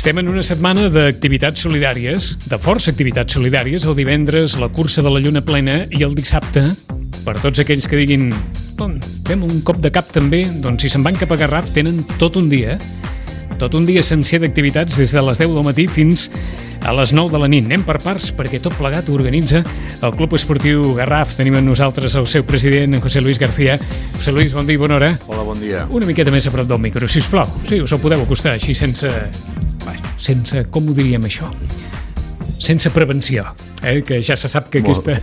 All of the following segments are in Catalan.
Estem en una setmana d'activitats solidàries, de força activitats solidàries. El divendres, la cursa de la lluna plena, i el dissabte, per tots aquells que diguin fem un cop de cap també, doncs si se'n van cap a Garraf tenen tot un dia sencer d'activitats des de les 10 del matí fins a les 9 de la nit. Anem per parts perquè tot plegat ho organitza el Club Esportiu Garraf. Tenim amb nosaltres el seu president, en José Luis García. José Luis, bon dia i bona hora. Hola, bon dia. Una miqueta més a prop del micro, sisplau. Sí, us el podeu acostar així sense, com ho diríem això? Sense prevenció, que ja se sap que aquesta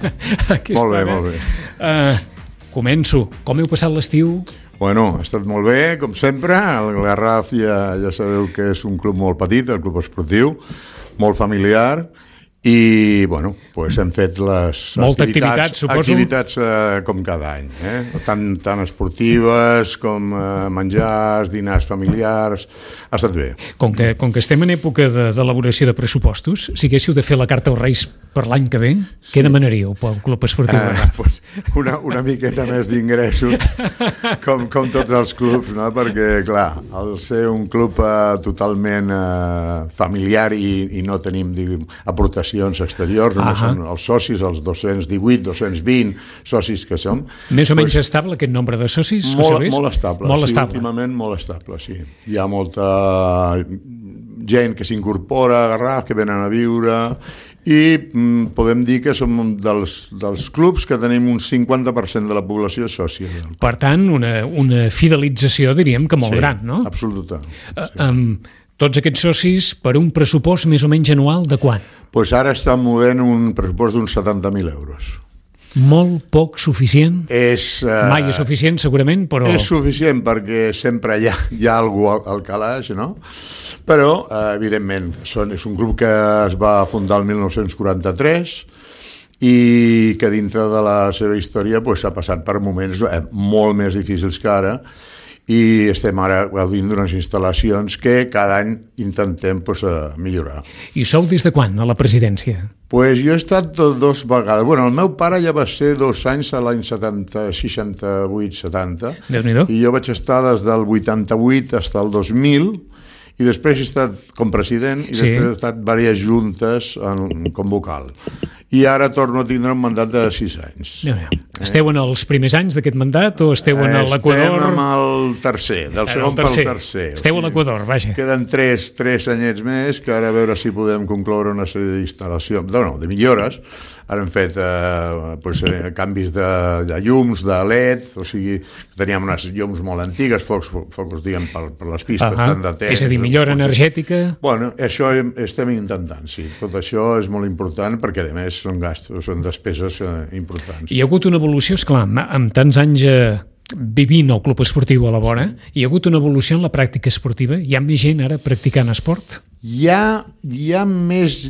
molt bé. Començo. Com heu passat l'estiu? Bueno, ha estat molt bé, com sempre. El Garraf ja sabeu que és un club molt petit, el club esportiu, molt familiar, i bueno, pues hem fet les activitats com cada any, tant esportives com menjars, dinars familiars. Ha estat bé. Com que estem en època d'elaboració de pressupostos, si haguéssiu de fer la carta als Reis per l'any que ve, sí. Què demanaríeu pel Club Esportiu Garraf? Pues una miqueta més d'ingressos, com tots els clubs, no? Perquè, clar, al ser un club totalment familiar i no tenim, diguem, aportacions exteriors, només són els socis, els 218, 220 socis que som. Més o menys estable aquest nombre de socis? Molt estable, últimament molt estable, sí. Hi ha molta gent que s'incorpora a Garraf, que venen a viure, i podem dir que som dels clubs que tenim un 50% de la població sòcia. Per tant, una fidelització, diríem que molt gran, no? Absoluta. Tots aquests socis per un pressupost més o menys anual de quant? Doncs ara estan movent un pressupost d'uns 70.000 euros. Molt poc suficient? Mai és suficient, segurament, però... És suficient perquè sempre hi ha algú al calaix, no? Però, evidentment, és un club que es va fundar el 1943 i que dintre de la seva història s'ha passat per moments molt més difícils que ara, i estem ara gaudint d'unes instal·lacions que cada any intentem millorar. I sou des de quan a la presidència? Jo he estat 2 vegades. El meu pare ja va ser 2 anys a l'any 68-70. Déu-n'hi-do. I jo vaig estar des del 88 fins al 2000, i després he estat com president i després he estat diverses juntes com vocal. I ara torno a tindre un mandat de 6 anys. Esteu en els primers anys d'aquest mandat o esteu en l'Equador? Estem en el tercer, del segon pel tercer. Esteu a l'Equador, vaja. Queden 3 anyets més, que ara a veure si podem concloure una sèrie d'instal·lacions, de millores. Ara hem fet canvis de llums, de LED, o sigui, teníem unes llums molt antigues, focus, diguem, per les pistes, tant de temps. És a dir, millora energètica? Bueno, això estem intentant, sí. Tot això és molt important perquè, a més, són gastos, són despeses importants. Hi ha hagut una evolució, esclar, amb tants anys vivint el club esportiu a la vora, hi ha hagut una evolució en la pràctica esportiva? Hi ha més gent ara practicant esport? Hi ha més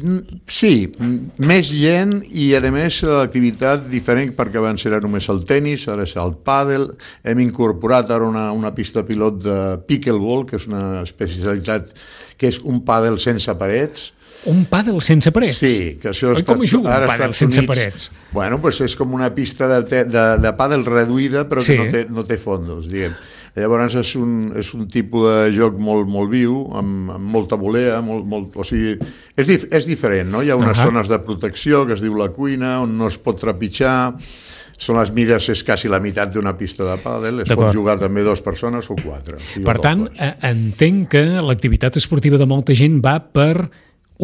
gent i, a més, l'activitat diferent, perquè abans era només el tenis, ara és el pàdel. Hem incorporat ara una pista pilot de pickleball, que és una especialitat que és un pàdel sense parets. Un pàdel sense parets? Sí, que això com hi juga un pàdel sense parets? Bueno, és com una pista de pàdel reduïda, però que no té fondos, diguem. Llavors és un tipus de joc molt viu, amb molta volea, o sigui, és diferent, no? Hi ha unes zones de protecció que es diu la cuina, on no es pot trepitjar, són les mides, és quasi la meitat d'una pista de pàdel, es pot jugar també 2 persones o 4. Per tant, entenc que l'activitat esportiva de molta gent va per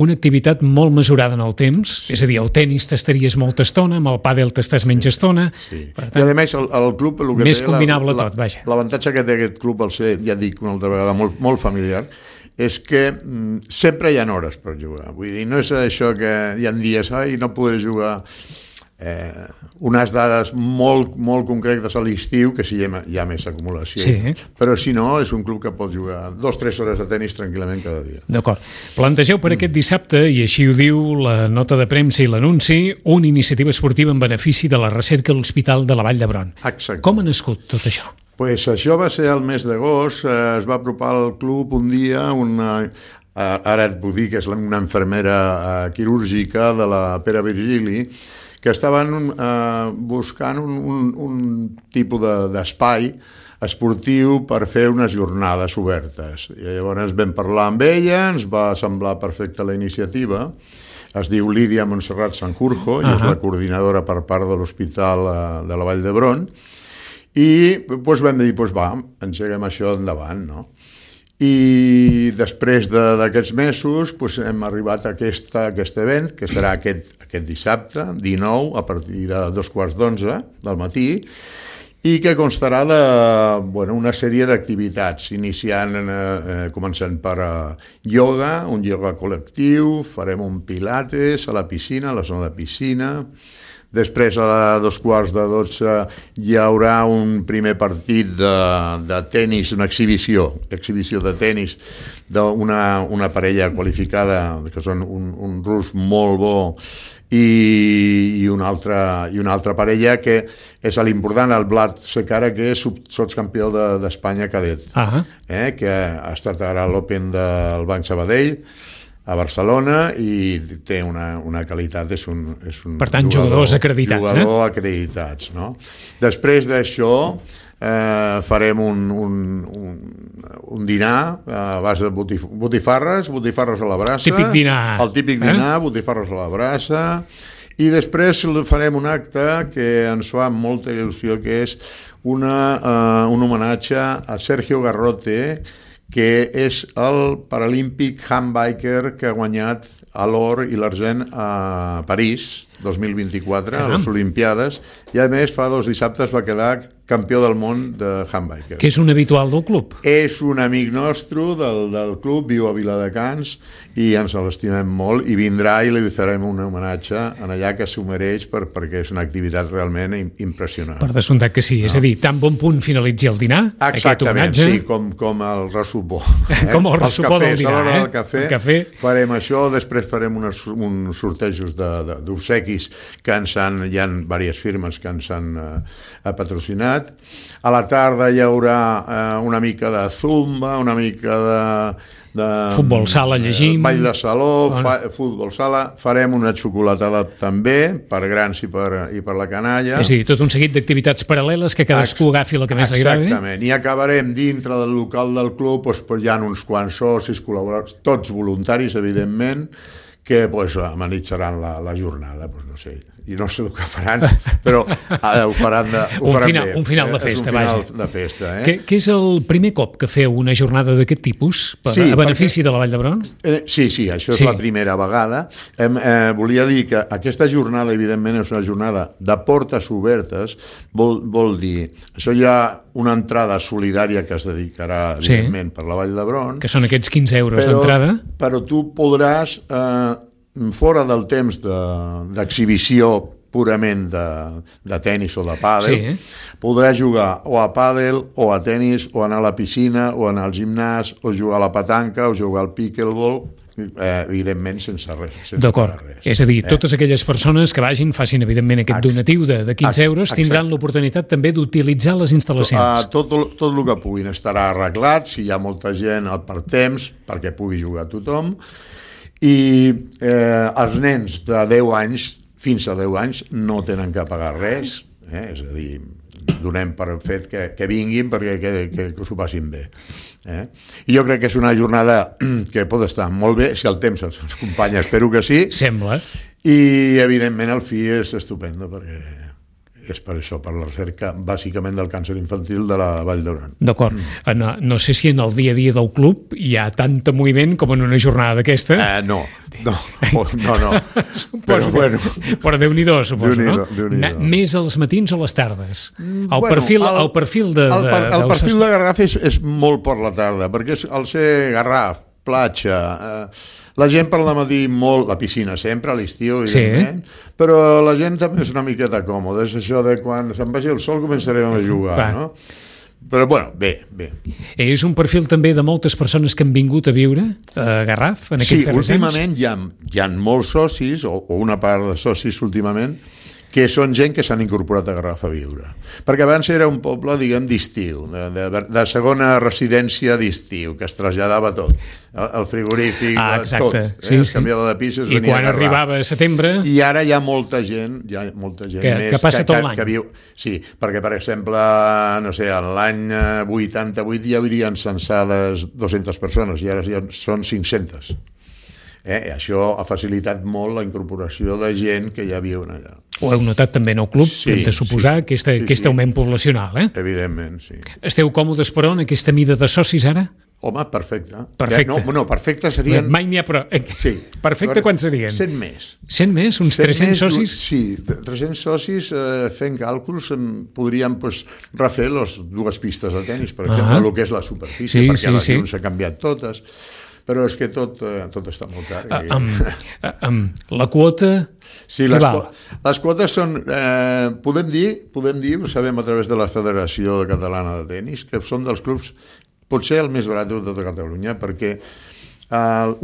una activitat molt mesurada en el temps, és a dir, el tenis t'estaries molta estona, amb el pàdel t'estàs menys estona. I a més, el club... Més combinable tot, vaja. L'avantatge que té aquest club, al ser, ja dic una altra vegada, molt familiar, és que sempre hi ha hores per jugar. Vull dir, no és això que hi ha dies, no podré jugar... unes dades molt concretes a l'estiu, que sí hi ha més acumulació, però si no és un club que pot jugar 2-3 hores de tenis tranquil·lament cada dia. D'acord. Plantegeu per aquest dissabte, i així ho diu la nota de premsa i l'anunci, una iniciativa esportiva en benefici de la recerca a l'Hospital de la Vall d'Hebron. Exacte. Com ha nascut tot això? Això va ser el mes d'agost, es va apropar al club un dia ara et puc dir que és una infermera quirúrgica de la Pere Virgili, que estaven buscant un tipus d'espai esportiu per fer unes jornades obertes. I llavors vam parlar amb ella, ens va semblar perfecta la iniciativa. Es diu Lídia Montserrat Sanjurjo i és la coordinadora per part de l'Hospital de la Vall d'Hebron. I doncs vam dir, va, engeguem això endavant, no? I després d'aquests mesos hem arribat a aquest event, que serà aquest dissabte, 19, a partir de 2:15 del matí, i que constarà una sèrie d'activitats, començant per ioga, un ioga col·lectiu, farem un pilates a la piscina, a la zona de piscina. Després, a 11:45, hi haurà un primer partit de tenis, una exhibició de tenis d'una parella qualificada, que són un rus molt bo, i una altra parella que és l'important, el Vlad Secara, que és sotscampió d'Espanya cadet, que ha estat ara a l'Open del Banc Sabadell a Barcelona i té una qualitat, és un per tant, jugadors acreditats, no? Després d'això farem un dinar a base de botifarres a la brasa, el típic dinar, botifarres a la brasa, i després farem un acte que ens fa molta il·lusió, que és un homenatge a Sergio Garrote, que és el paralímpic handbiker que ha guanyat l'or i l'argent a París 2024, a les Olimpiades, i a més fa 2 dissabtes va quedar campió del món de handbiker. Que és un habitual del club. És un amic nostre del club, viu a Viladecans i ens l'estimem molt, i vindrà i li farem un homenatge en allà, que s'ho mereix perquè és una activitat realment impressionant. Per descomptat que sí, és a dir, tan bon punt finalitzi el dinar, aquest homenatge. Sí, com el ressupó. Com el ressupó del dinar, a l'hora del cafè. Farem això, després farem uns sortejos d'obsequis que hi ha diverses firmes que ens han patrocinat. A la tarda hi haurà una mica de zumba, una mica de futbol sala, llegim, ball de saló, futbol sala. Farem una xocolatada també per grans i per la canalla. És a dir, tot un seguit d'activitats paral·leles que cadascú agafi la que més li agrada. Exactament, i acabarem dintre del local del club, hi ha uns quants socis, col·laboradors, tots voluntaris, evidentment, que amenitzaran la jornada, no sé, i no sé el que faran, però ho faran bé. Un final de festa, vaja. Un final de festa, Què és el primer cop que feu una jornada d'aquest tipus, a benefici de la Vall d'Hebron? Sí, això és la primera vegada. Volia dir que aquesta jornada, evidentment, és una jornada de portes obertes, vol dir, això hi ha una entrada solidària que es dedicarà, evidentment, per la Vall d'Hebron. Que són aquests 15 euros d'entrada. Però tu podràs, fora del temps d'exhibició purament de tenis o de pàdel, podràs jugar o a pàdel, o a tenis, o anar a la piscina, o anar al gimnàs, o jugar a la petanca, o jugar al pickleball, evidentment sense res. D'acord, és a dir, totes aquelles persones que vagin, facin evidentment aquest donatiu de 15 euros, tindran l'oportunitat també d'utilitzar les instal·lacions. Tot el que puguin estarà arreglat, si hi ha molta gent per temps, perquè pugui jugar tothom, i els nens de 10 anys fins a 10 anys no tenen que pagar res, és a dir, donem per fet que vinguin perquè que s'ho passin bé. I jo crec que és una jornada que pot estar molt bé, si el temps ens acompanya, espero que sí. Sembla. I evidentment el fi és estupendo, perquè és per això, per la recerca bàsicament del càncer infantil de la Vall d'Hebron. D'acord. No sé si en el dia a dia del club hi ha tant moviment com en una jornada d'aquesta. No. Però Déu-n'hi-do, suposo, no? Més als matins o les tardes? El perfil de Garraf és molt per la tarda, perquè al ser Garraf, platja, la gent per la matí molt, la piscina sempre, a l'estiu, evidentment, però la gent també és una miqueta còmoda, és això de quan se'n vagi el sol començarem a jugar, no? Però, bé. És un perfil també de moltes persones que han vingut a viure a Garraf en aquests darrers anys? Sí, últimament hi ha molts socis, o una part de socis últimament, que són gent que s'han incorporat a Garraf a viure. Perquè abans era un poble, diguem, d'estiu, de segona residència d'estiu, que es traslladava tot. El frigorífic, tot. Es canviava de pisos, i quan arribava a setembre... I ara hi ha molta gent que passa tot l'any. Que viu. Sí, perquè, per exemple, no sé, l'any 88 ja haurien censades 200 persones, i ara ja són 500. Això ha facilitat molt la incorporació de gent que ja viuen allà. Ho heu notat també en el club, hem de suposar, aquest augment poblacional, Evidentment, sí. Esteu còmodes, però, en aquesta mida de socis ara? Home, perfecte. Perfecte. No, perfecte serien... Mai n'hi ha, però... Sí. Perfecte, quan serien? 100 més. 100 més? Uns 300 socis? Sí, 300 socis, fent càlculs, podríem refer les 2 pistes de tenis, per exemple, el que és la superfície, perquè les llums s'ha canviat totes, però és que tot està molt car. La quota... Sí, les quotes són, podem dir, ho sabem a través de la Federació Catalana de Tenis, que són dels clubs potser el més barat de tota Catalunya, perquè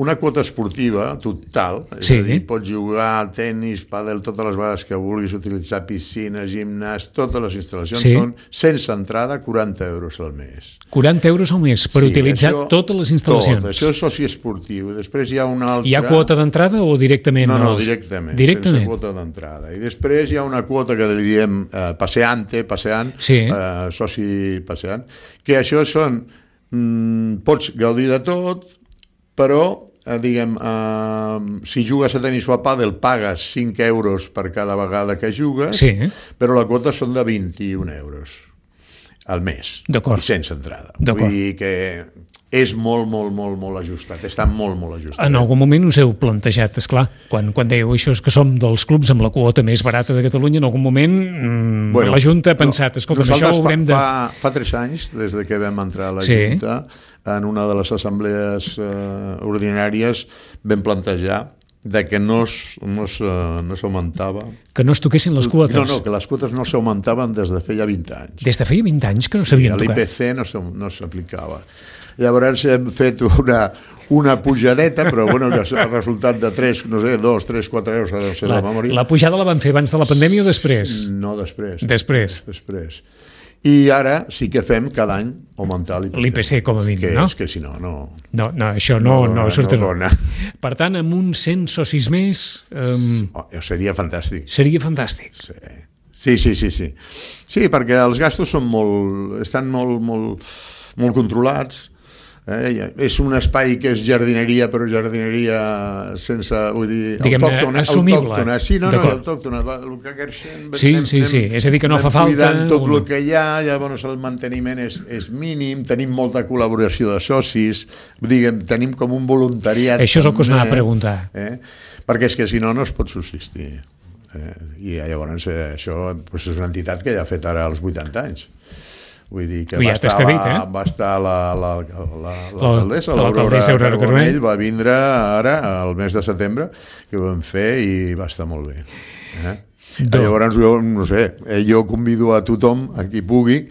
una quota esportiva total, és a dir, pots jugar a tenis, pàdel, totes les vegades que vulguis, utilitzar piscina, gimnàs, totes les instal·lacions són, sense entrada, 40 euros al mes. 40 euros al mes per utilitzar totes les instal·lacions. Tot, això és soci esportiu. Després hi ha una altra... Hi ha quota d'entrada o directament? No, directament, sense quota d'entrada. I després hi ha una quota que li diem passeant, soci passeant, que això són... pots gaudir de tot, però, diguem, si jugues a tenis o a pàdel pagues 5 euros per cada vegada que jugues, però la quota són de 21 euros al mes, i sense entrada. Vull dir que és molt ajustat, està molt ajustat. En algun moment us heu plantejat, esclar, quan dèieu això és que som dels clubs amb la quota més barata de Catalunya, en algun moment la Junta ha pensat, escolta, això ho haurem de... Fa 3 anys, des que vam entrar a la Junta, en una de les assemblees ordinàries vam plantejar que no s'augmentava. Que no es toquessin les quotes. No, que les quotes no s'augmentaven des de feia 20 anys. Des de feia 20 anys que no s'havien tocat. L'IPC no s'aplicava. Llavors hem fet una pujadeta, però bueno, que el resultat de 2, 3, 4 euros, no sé la memòria. La pujada la van fer abans de la pandèmia o després? No, després. Després. I ara sí que fem cada any augmentar l'IPC. L'IPC com a mínim, no? És que si no... No, això no surt. Per tant, amb uns 100 socis més... Seria fantàstic. Seria fantàstic. Sí. Sí, perquè els gastos estan molt controlats. És un espai que és jardineria, però jardineria sense, vull dir, autòctona. Assumible. Sí, autòctona. El que queixem... Sí, és a dir, que no fa falta... Tot el que hi ha, llavors el manteniment és mínim, tenim molta col·laboració de socis, diguem, tenim com un voluntariat. Això és el que us anava a preguntar. Perquè és que si no es pot subsistir. I llavors això és una entitat que ja ha fet ara els 80 anys. Vull dir que va estar l'alcaldessa, l'Aurora Carbonell, va vindre ara, al mes de setembre, que ho vam fer i va estar molt bé. Llavors, no sé, jo convido a tothom, a qui pugui,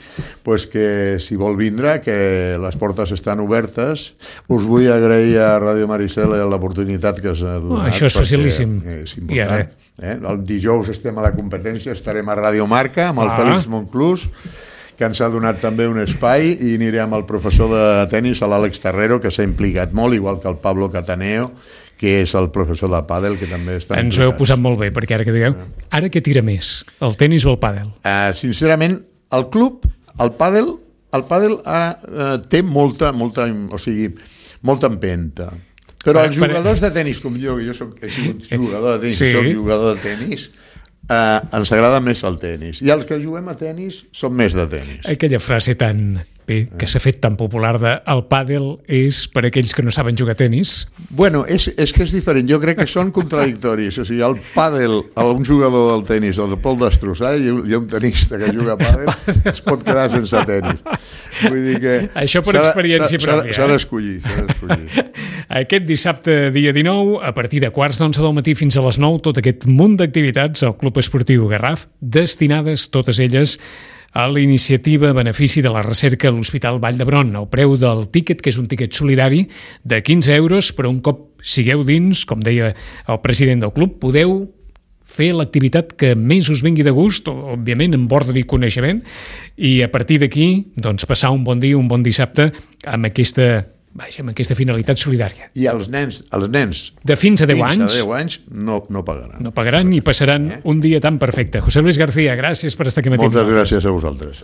que si vol vindre, que les portes estan obertes. Us vull agrair a Ràdio Maricel l'oportunitat que us ha donat. Això és facilíssim. És important. El dijous estem a la competència, estarem a Ràdio Marca amb el Fèlix Monclús, que ens ha donat també un espai, i aniré amb el professor de tenis, l'Àlex Terrero, que s'ha implicat molt, igual que el Pablo Cataneo, que és el professor de pàdel, que també està implicat. Ens ho heu posat molt bé, perquè ara que digueu, ara què tira més, el tenis o el pàdel? Sincerament, el club, el pàdel ara té molta empenta. Però els jugadors de tenis, com jo soc jugador de tenis, soc jugador de tenis, ens agrada més el tenis, i els que juguem a tenis són més de tenis. Aquella frase tan bé, que s'ha fet tan popular de el pàdel és per aquells que no saben jugar a tenis. Bueno, és que és diferent, jo crec que són contradictoris. O sigui, el pàdel, un jugador del tenis el pot destrossar, i hi ha un tenista que juga a pàdel es pot quedar sense tenis. Vull dir que això per experiència pròpia. S'ha d'escollir. Aquest dissabte, dia 19, a partir de 11:15 del matí fins a les 9, tot aquest munt d'activitats al Club Esportiu Garraf, destinades totes elles a la iniciativa benefici de la recerca a l'Hospital Vall d'Hebron. El preu del tíquet, que és un tíquet solidari de 15 euros, però un cop sigueu dins, com deia el president del club, podeu fer l'activitat que més us vingui de gust, òbviament amb ordre i coneixement, i a partir d'aquí doncs, passar un bon dia, un bon dissabte amb aquesta finalitat solidària. I els nens de fins a 10 anys, no pagaran. No pagaran i passaran un dia tan perfecte. José Luis García, gràcies per estar aquí matí. Moltes gràcies a vosaltres.